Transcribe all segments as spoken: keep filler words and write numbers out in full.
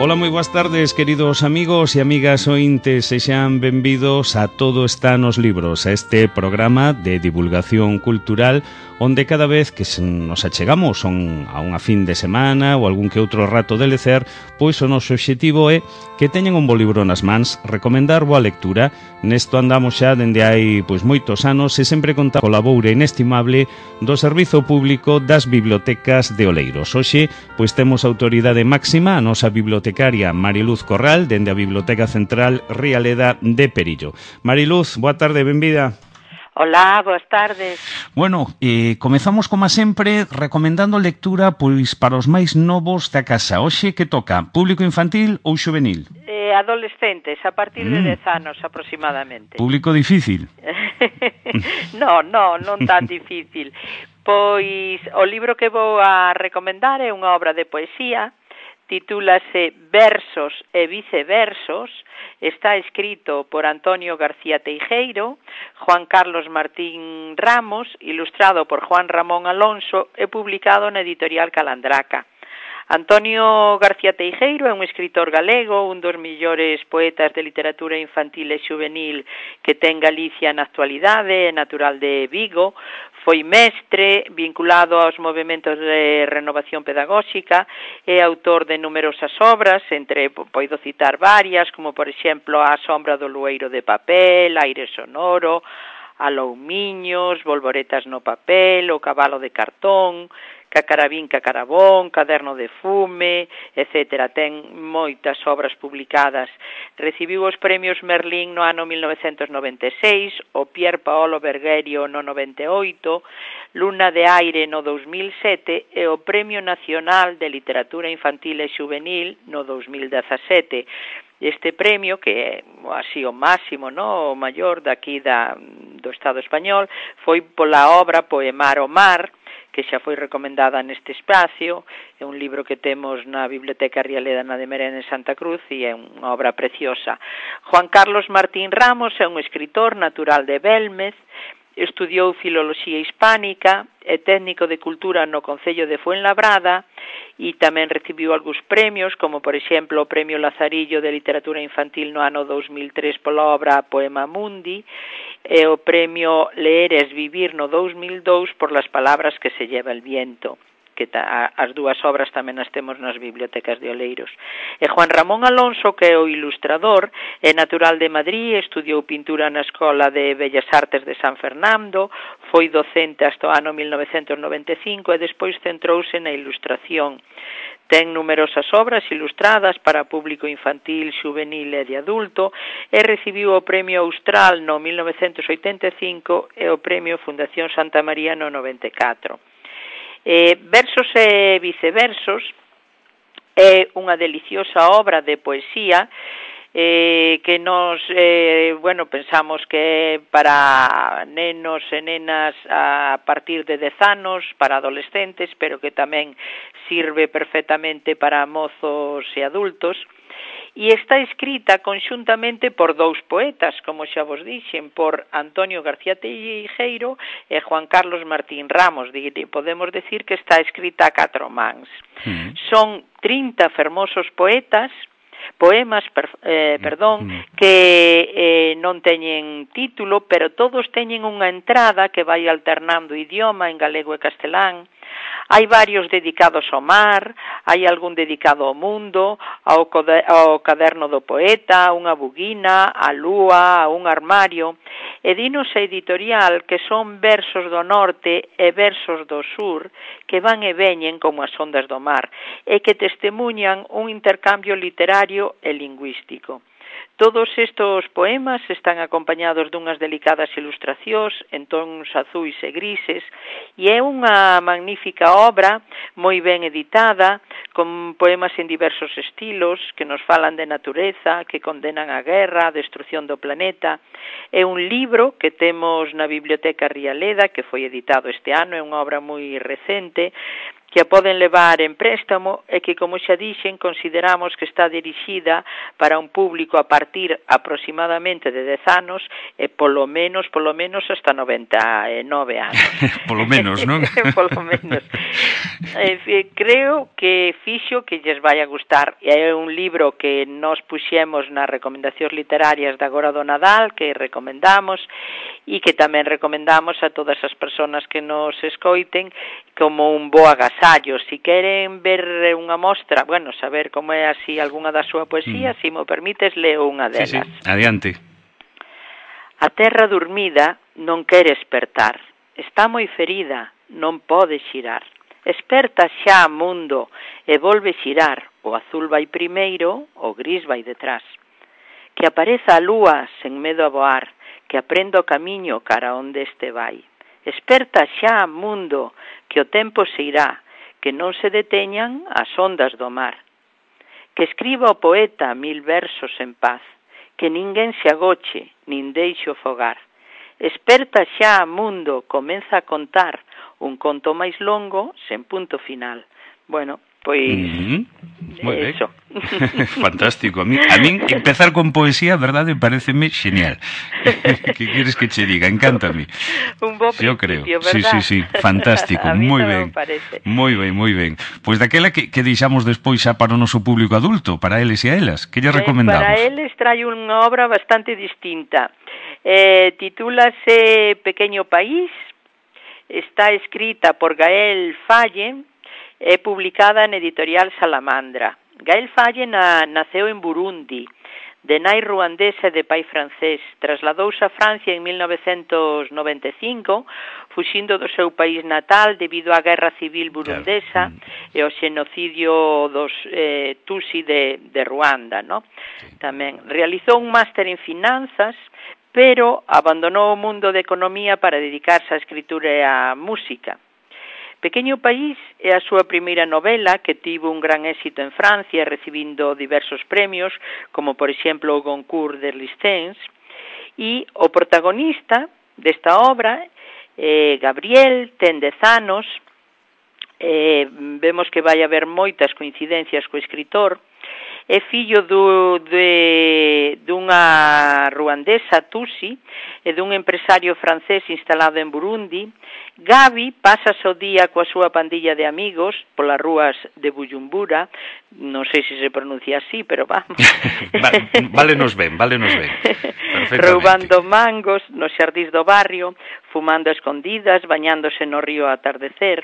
Ola, moi boas tardes, queridos amigos e amigas ointes, sexan benvidos a Todo está nos libros, a este programa de divulgación cultural onde cada vez que nos achegamos on, a unha fin de semana ou algún que outro rato de lecer, pois o noso obxectivo é que teñan un bo libro nas mans, recomendar boa lectura. Nesto andamos xa dende hai pois moitos anos e sempre conta co labor inestimable do Servizo Público das Bibliotecas de Oleiros. Hoxe, pois temos autoridade máxima, a nosa bibliotecaria Mariluz Corral, dende a Biblioteca Central Rialeda de Perillo. Mariluz, boa tarde, benvida. Hola, boas tardes. Bueno, eh, comezamos como sempre recomendando lectura pois para os máis novos da casa. Hoxe que toca? Público infantil ou xuvenil? Eh, adolescentes, a partir de mm. dez anos aproximadamente. Público difícil? no, no, non tan difícil. Pois o libro que vou a recomendar é unha obra de poesía, titúlase Versos e Viceversos, está escrito por Antonio García Teijeiro, Juan Carlos Martín Ramos, ilustrado por Juan Ramón Alonso e publicado na editorial Calandraca. Antonio García Teijeiro é un escritor galego, un dos millores poetas de literatura infantil e xuvenil que ten Galicia na actualidade, é natural de Vigo, foi mestre, vinculado aos movementos de renovación pedagóxica, é autor de numerosas obras, entre, podo citar varias, como por exemplo A sombra do lueiro de papel, Aire sonoro, Aloumiños, Volvoretas no papel, O cabalo de cartón, Cacarabín, Cacarabón, Caderno de fume, etcétera. Ten moitas obras publicadas. Recibiu os premios Merlín no ano mil novecentos noventa e seis, o Pier Paolo Bergerio no noventa e oito, Luna de Aire no dous mil sete e o Premio Nacional de Literatura Infantil e Xuvenil no dous mil dezasete. Este premio, que é así o máximo, no, o maior daqui da, do Estado español, foi pola obra Poemar o Mar, que xa foi recomendada neste espacio, é un libro que temos na Biblioteca Rialeda na de Merén en Santa Cruz e é unha obra preciosa. Juan Carlos Martín Ramos é un escritor natural de Belmez, estudiou Filoloxía Hispánica, é técnico de cultura no Concello de Fuenlabrada e tamén recibiu algúns premios, como por exemplo o Premio Lazarillo de Literatura Infantil no ano dous mil tres pola obra Poema Mundi e o Premio Leer es Vivir no dous mil dous por Las palabras que se lleva el viento, que ta, as dúas obras tamén as temos nas bibliotecas de Oleiros. E Juan Ramón Alonso, que é o ilustrador, é natural de Madrid, estudiou pintura na Escola de Bellas Artes de San Fernando, foi docente hasta o ano mil novecentos noventa e cinco e despois centrouse na ilustración. Ten numerosas obras ilustradas para público infantil, xuvenil e de adulto e recibiu o Premio Austral no mil novecentos oitenta e cinco e o Premio Fundación Santa María no noventa e catro. Eh, Versos e Viceversos é unha deliciosa obra de poesía eh, que nos, eh, bueno, pensamos que é para nenos e nenas a partir de dez anos, para adolescentes, pero que tamén sirve perfectamente para mozos e adultos. E está escrita conxuntamente por dous poetas, como xa vos dixen, por Antonio García Teijeiro e Juan Carlos Martín Ramos. Podemos decir que está escrita a catro mans. Mm. Son trinta fermosos poetas, poemas, per, eh, perdón, mm. que eh, non teñen título, pero todos teñen unha entrada que vai alternando idioma en galego e castelán. Hai varios dedicados ao mar, hai algún dedicado ao mundo, ao, ao caderno do poeta, a unha buguina, a lúa, a un armario. E dinos a editorial que son versos do norte e versos do sur que van e veñen como as ondas do mar e que testemunhan un intercambio literario e lingüístico. Todos estes poemas están acompañados dunhas delicadas ilustracións en tons azuis e grises e é unha magnífica obra moi ben editada, con poemas en diversos estilos que nos falan de natureza, que condenan a guerra, a destrucción do planeta. É un libro que temos na Biblioteca Rialeda, que foi editado este ano, é unha obra moi recente, que a poden levar en préstamo e que, como xa dixen, consideramos que está dirixida para un público a partir aproximadamente de dez anos e polo menos, polo menos hasta noventa e nove anos. Polo menos, non? Polo menos. Eh, creo que fixo que lles vai a gustar. É un libro que nos puxemos nas recomendacións literarias de agora do Nadal, que recomendamos, e que tamén recomendamos a todas as persoas que nos escoiten como un bo agasallo. Si queren ver unha mostra, bueno, saber como é así algunha da súa poesía, mm. se mo permites, leo unha delas. Sí, sí, adiante. A terra dormida non quere espertar, está moi ferida, non pode xirar. Esperta xa, mundo, e volve xirar, o azul vai primeiro, o gris vai detrás. Que apareza a lúa sen medo a voar, que aprenda o camiño cara onde este vai. Esperta xa, mundo, que o tempo se irá, que non se deteñan as ondas do mar. Que escriba o poeta mil versos en paz, que ninguén se agoche, nin deixe o fogar. Esperta xa, mundo, comeza a contar un conto máis longo sen punto final. Bueno, pois mm-hmm. Moi eso. Fantástico. A mí, a mí empezar con poesía, verdade, pareceme genial. Que queres que che diga? Encántame. Un bo Yo creo. ¿verdad? Sí, sí, sí, fantástico. Moi ben. Moi ben, moi ben. Pois daquela que, que deixamos despois xa para o noso público adulto, para eles e a elas, que lle recomendamos? Eh, para eles traio unha obra bastante distinta. Eh, titúlase Pequeño País, está escrita por Gael Falle, é publicada na editorial Salamandra. Gael Falle na, naceu en Burundi, de nai ruandesa e de pai francés. Trasladouse a Francia en mil novecentos noventa e cinco, fuxindo do seu país natal debido á guerra civil burundesa e ao xenocidio dos eh, Tutsi de, de Ruanda, ¿no? Tamén realizou un máster en finanzas, pero abandonou o mundo de economía para dedicarse á escritura e á música. Pequeño País é a súa primeira novela que tivo un gran éxito en Francia, recibindo diversos premios, como por exemplo o Goncourt de Listens, e o protagonista desta obra, eh, Gabriel, ten dez anos, eh, vemos que vai haber moitas coincidencias co escritor, é fillo do, de, dunha ruandesa Tutsi e dun empresario francés instalado en Burundi. Gabi pasa o día coa súa pandilla de amigos polas rúas de Bujumbura, non sei se se pronuncia así, pero vamos. Válenos ben, válenos ben. Roubando mangos nos xardís do barrio, fumando a escondidas, bañándose no río a atardecer.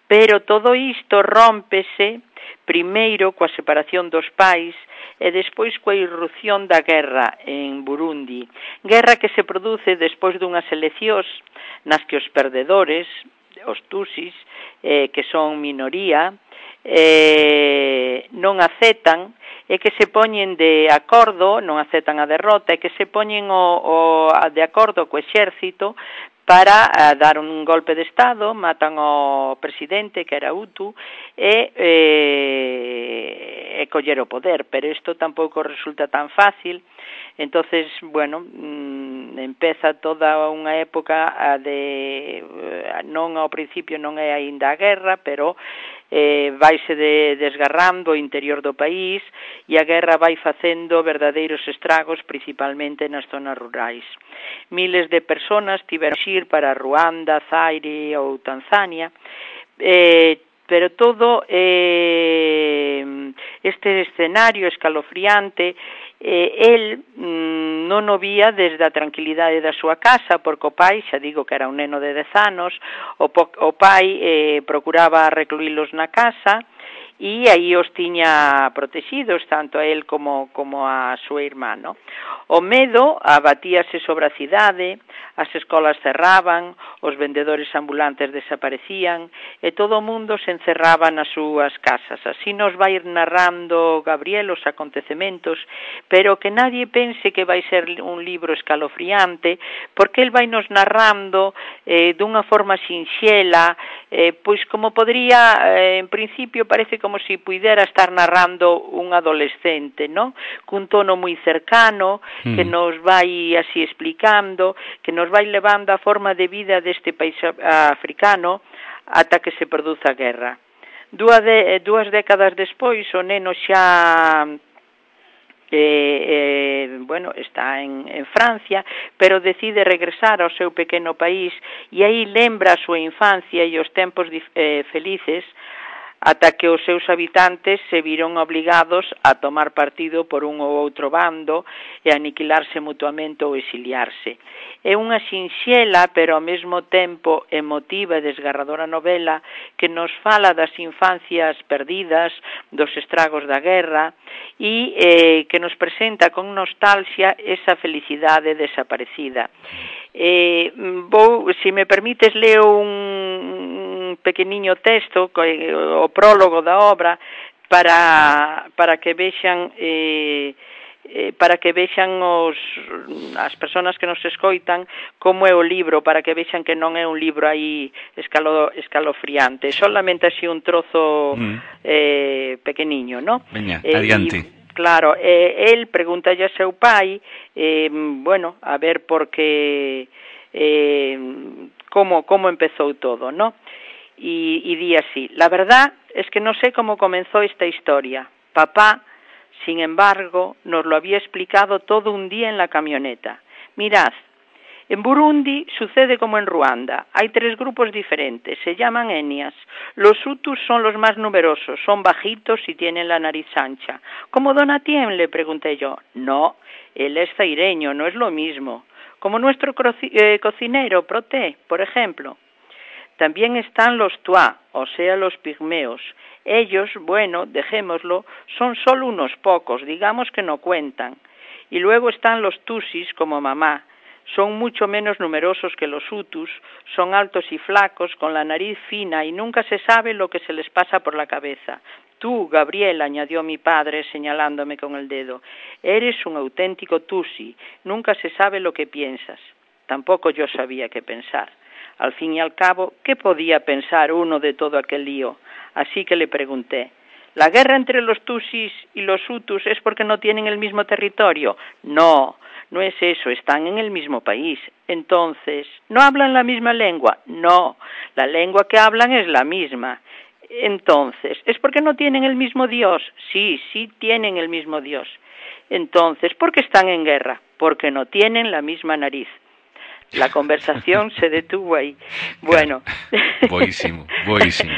Pero todo isto rómpese primeiro coa separación dos pais e despois coa irrupción da guerra en Burundi. Guerra que se produce despois dunhas eleccións nas que os perdedores, os Tutsis, eh, que son minoría, eh, non aceptan e que se poñen de acordo, non aceptan a derrota, e que se poñen o, o, de acordo co exército para uh, dar un golpe de Estado, matan ao presidente, que era Hutu, e, e, e coller o poder, pero isto tampouco resulta tan fácil. Entonces, bueno, mmm, empeza toda unha época de, non ao principio non é aínda a guerra, pero eh, vaise de, desgarrando o interior do país e a guerra vai facendo verdadeiros estragos, principalmente nas zonas rurais. Miles de personas tiveron que ir para Ruanda, Zaire ou Tanzania, eh, pero todo eh, este escenario escalofriante, eh, el mm, non o vía desde a tranquilidade da súa casa, porque o pai, xa digo que era un neno de dez anos, o, po, o pai eh, procuraba recluílos na casa e aí os tiña protegidos, tanto a él como, como a súa irmá, no? O medo abatíase sobre a cidade, as escolas cerraban, os vendedores ambulantes desaparecían e todo o mundo se encerraba nas súas casas. Así nos vai ir narrando Gabriel os acontecementos, pero que nadie pense que vai ser un libro escalofriante, porque el vai nos narrando eh, dunha forma sinxela, eh, pois como podría, eh, en principio parece como se si puidera estar narrando un adolescente, ¿no? Cun tono moi cercano, mm. que nos vai así explicando, que nos vai levando a forma de vida deste país africano ata que se produza a guerra. Dúas, de, dúas décadas despois o neno xa eh, eh, bueno, está en, en Francia, pero decide regresar ao seu pequeno país e aí lembra a súa infancia e os tempos eh, felices ata que os seus habitantes se viron obligados a tomar partido por un ou outro bando e aniquilarse mutuamente ou exiliarse. É unha sinxela, pero ao mesmo tempo emotiva e desgarradora novela que nos fala das infancias perdidas, dos estragos da guerra e eh, que nos presenta con nostalgia esa felicidade desaparecida. Eh, vou, se me permites, leo un pequeniño texto, o prólogo da obra, para para que vexan eh, eh, para que vexan os as persoas que nos escoitan como é o libro, para que vexan que non é un libro aí escalo, escalofriante, solamente así un trozo mm. eh, pequeniño, ¿no? Veña, eh, adiante. Y, claro, eh, el pregúntalle a seu pai, eh, bueno, a ver por que eh, como como empezou todo, ¿no? Y, y di así: la verdad es que no sé cómo comenzó esta historia. Papá, sin embargo, nos lo había explicado todo un día en la camioneta. Mirad, en Burundi sucede como en Ruanda. Hay tres grupos diferentes, se llaman etnias. Los hutus son los más numerosos, son bajitos y tienen la nariz ancha. ¿Como Donatien?, le pregunté yo. No, él es zaireño, no es lo mismo. Como nuestro croci- eh, cocinero, Proté, por ejemplo. También están los tuá, o sea, los pigmeos. Ellos, bueno, dejémoslo, son solo unos pocos, digamos que no cuentan. Y luego están los tusis, como mamá. Son mucho menos numerosos que los hutus, son altos y flacos, con la nariz fina, y nunca se sabe lo que se les pasa por la cabeza. Tú, Gabriel, añadió mi padre, señalándome con el dedo, eres un auténtico tusi, nunca se sabe lo que piensas. Tampoco yo sabía qué pensar. Al fin y al cabo, ¿qué podía pensar uno de todo aquel lío? Así que le pregunté, ¿la guerra entre los tusis y los hutus es porque no tienen el mismo territorio? No, no es eso, están en el mismo país. Entonces, ¿no hablan la misma lengua? No, la lengua que hablan es la misma. Entonces, ¿es porque no tienen el mismo Dios? Sí, sí tienen el mismo Dios. Entonces, ¿por qué están en guerra? Porque no tienen la misma nariz. La conversación se detuvo aí. Bueno. Boísimo, boísimo.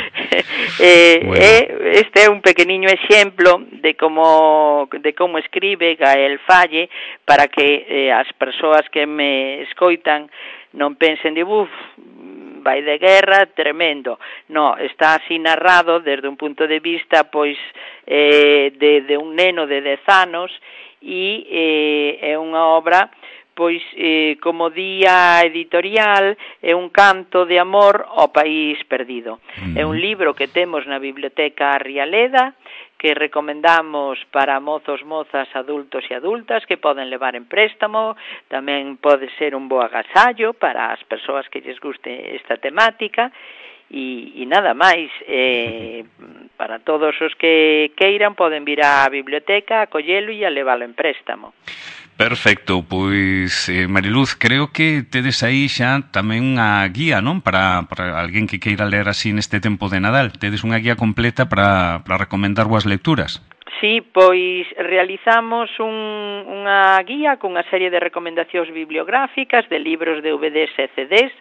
eh, bueno. eh, este é un pequeniño exemplo de como de como escribe Gael Falle para que eh, as persoas que me escoitan non pensen de buf, vai de guerra, tremendo. No, está así narrado desde un punto de vista pois eh, de, de un neno de dez anos e eh, é unha obra pois, eh, como día editorial, é un canto de amor ao país perdido. Mm. É un libro que temos na Biblioteca Rialeda, que recomendamos para mozos, mozas, adultos e adultas, que poden levar en préstamo, tamén pode ser un bo agasallo para as persoas que lles guste esta temática, e, e nada máis, eh, para todos os que queiran poden vir á biblioteca, a collelo e a leválo en préstamo. Perfecto, pois eh, Mariluz, creo que tedes aí xa tamén unha guía, non? Para, para alguén que queira ler así neste tempo de Nadal. Tedes unha guía completa para, para recomendar boas lecturas. Sí, pois realizamos un, unha guía con unha serie de recomendacións bibliográficas de libros de V Ds e C Ds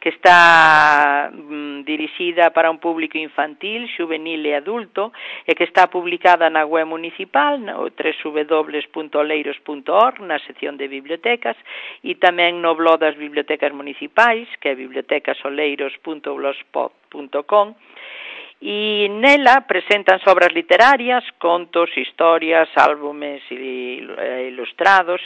que está mm, dirixida para un público infantil, juvenil e adulto e que está publicada na web municipal, no w w w punto oleiros punto org, na sección de bibliotecas e tamén no blog das bibliotecas municipais, que é bibliotecasoleiros punto blogspot punto com. E nela presentan obras literarias, contos, historias, álbumes ilustrados,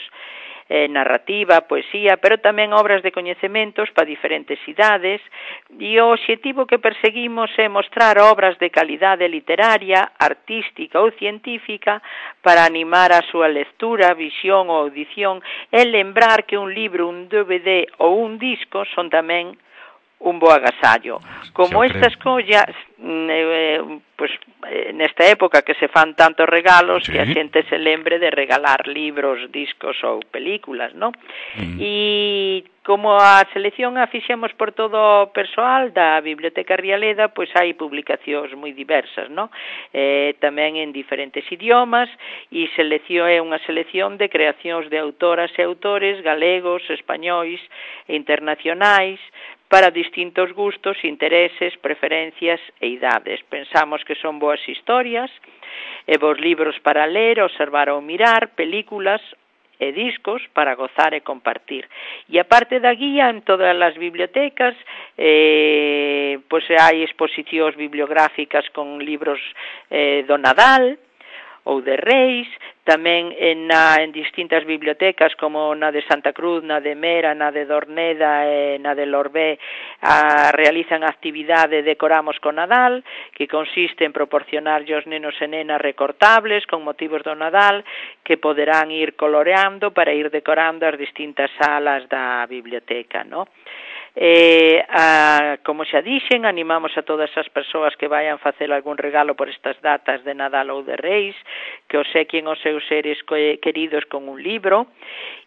eh, narrativa, poesía, pero tamén obras de coñecementos para diferentes idades, e o obxectivo que perseguimos é mostrar obras de calidade literaria, artística ou científica para animar a súa lectura, visión ou audición, e lembrar que un libro, un D V D ou un disco son tamén un bo agasallo. Como estas creo. collas, eh, pues nesta época que se fan tantos regalos, sí, que a xente se lembre de regalar libros, discos ou películas, non? Mm. E como a selección a fixemos por todo o persoal da Biblioteca Rialeda, pois hai publicacións moi diversas, non? Eh, tamén en diferentes idiomas, e selección é unha selección de creacións de autoras e autores galegos, españois e internacionais, para distintos gustos, intereses, preferencias e idades. Pensamos que son boas historias e bons libros para ler, observar ou mirar, películas e discos para gozar e compartir. E aparte da guía, en todas as bibliotecas, eh, pois hai exposicións bibliográficas con libros eh, do Nadal ou de Reis, tamén en, na, en distintas bibliotecas como na de Santa Cruz, na de Mera, na de Dorneda e na de Lorbé, a, realizan actividade Decoramos con Nadal, que consiste en proporcionar aos nenos e nenas recortables con motivos do Nadal que poderán ir coloreando para ir decorando as distintas salas da biblioteca, non? Eh, a, como xa dixen, animamos a todas as persoas que vayan facer algún regalo por estas datas de Nadal ou de Reis, que obsequien os seus seres queridos con un libro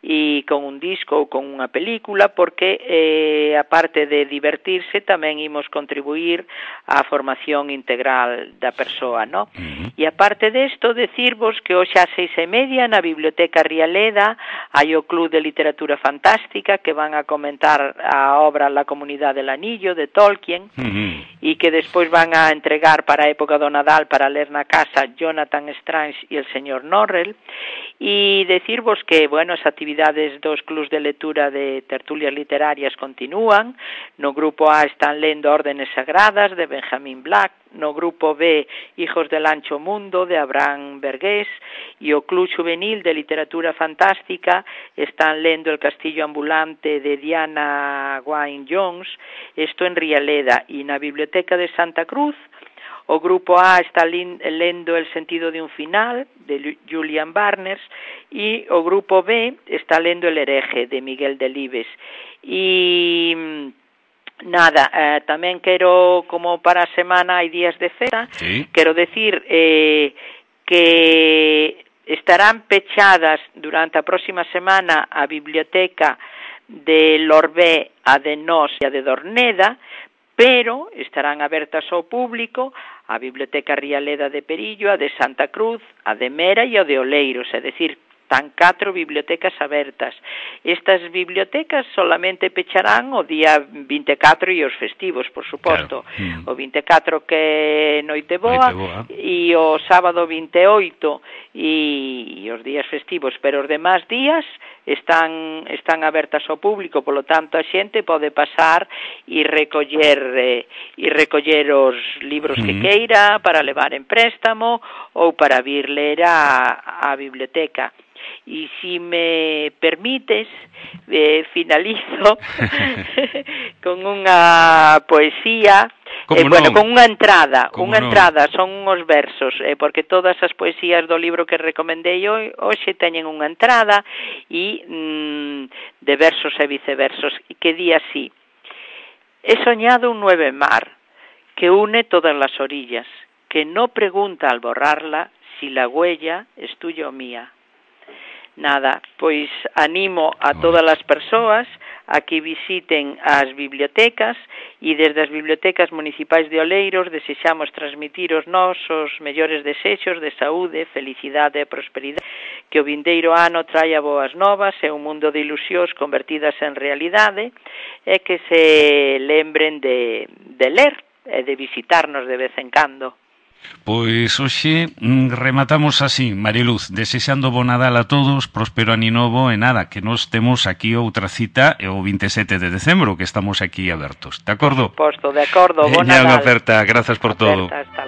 e con un disco ou con unha película, porque eh, aparte de divertirse tamén imos contribuir á formación integral da persoa, ¿no? Uh-huh. E aparte desto, decirvos que hoxe ás seis e media na Biblioteca Rialeda hai o Club de Literatura Fantástica que van a comentar a obra La Comunidad del Anillo de Tolkien, uh-huh, e que despois van a entregar para a época do Nadal para ler na casa Jonathan Strange e el señor Norrell, e decirvos que, bueno, as actividades dos clubs de lectura de tertulias literarias continúan. No grupo A están lendo Órdenes Sagradas de Benjamin Black, no grupo B Hijos del Ancho Mundo de Abraham Verghés, e o Club Juvenil de Literatura Fantástica están lendo El Castillo Ambulante de Diana Wynne Jones, isto en Rialeda. E na Biblioteca de Santa Cruz o grupo A está lendo El sentido de un final de Julian Barnes e o grupo B está lendo El hereje de Miguel Delibes. E nada, eh, tamén quero, como para a semana hai días de festa, sí, quero decir eh, que estarán pechadas durante a próxima semana a biblioteca de Lorbé, a de Nós e a de Dorneda, pero estarán abertas ao público a Biblioteca Rialeda de Perillo, a de Santa Cruz, a de Mera e a de Oleiros, é dicir, están catro bibliotecas abertas. Estas bibliotecas solamente pecharán o día vinte e catro e os festivos, por suposto. Claro. Mm. O vinte e catro que é Noite Boa, Noite Boa, e o sábado vinte e oito e, e os días festivos, pero os demás días están están abertas ao público, polo tanto a xente pode pasar e recoller eh, e recoller os libros mm. que queira para levar en préstamo ou para vir ler a, a biblioteca. E si me permites, eh, finalizo con unha poesía, eh, bueno, con unha entrada, unha no? entrada, son uns versos, eh, porque todas as poesías do libro que recomendei hoxe teñen unha entrada e mm, de versos e viceversos, e que di así: he soñado un nueve mar que une todas las orillas, que no pregunta al borrarla si la huella es tuya o mía. Nada, pois animo a todas as persoas a que visiten as bibliotecas, e desde as bibliotecas municipais de Oleiros desexamos transmitir os nosos mellores desexos de saúde, felicidade e prosperidade, que o vindeiro ano traia boas novas e un mundo de ilusións convertidas en realidade, e que se lembren de, de ler e de visitarnos de vez en cando. Pois hoxe rematamos así, Mariluz, desexando bo Nadal a todos, próspero ano novo, e nada, que nos temos aquí outra cita e o vinte e sete de decembro, que estamos aquí abertos, de acordo? Posto, de acordo, bo Nadal. Unha oferta, grazas por todo. Oferta,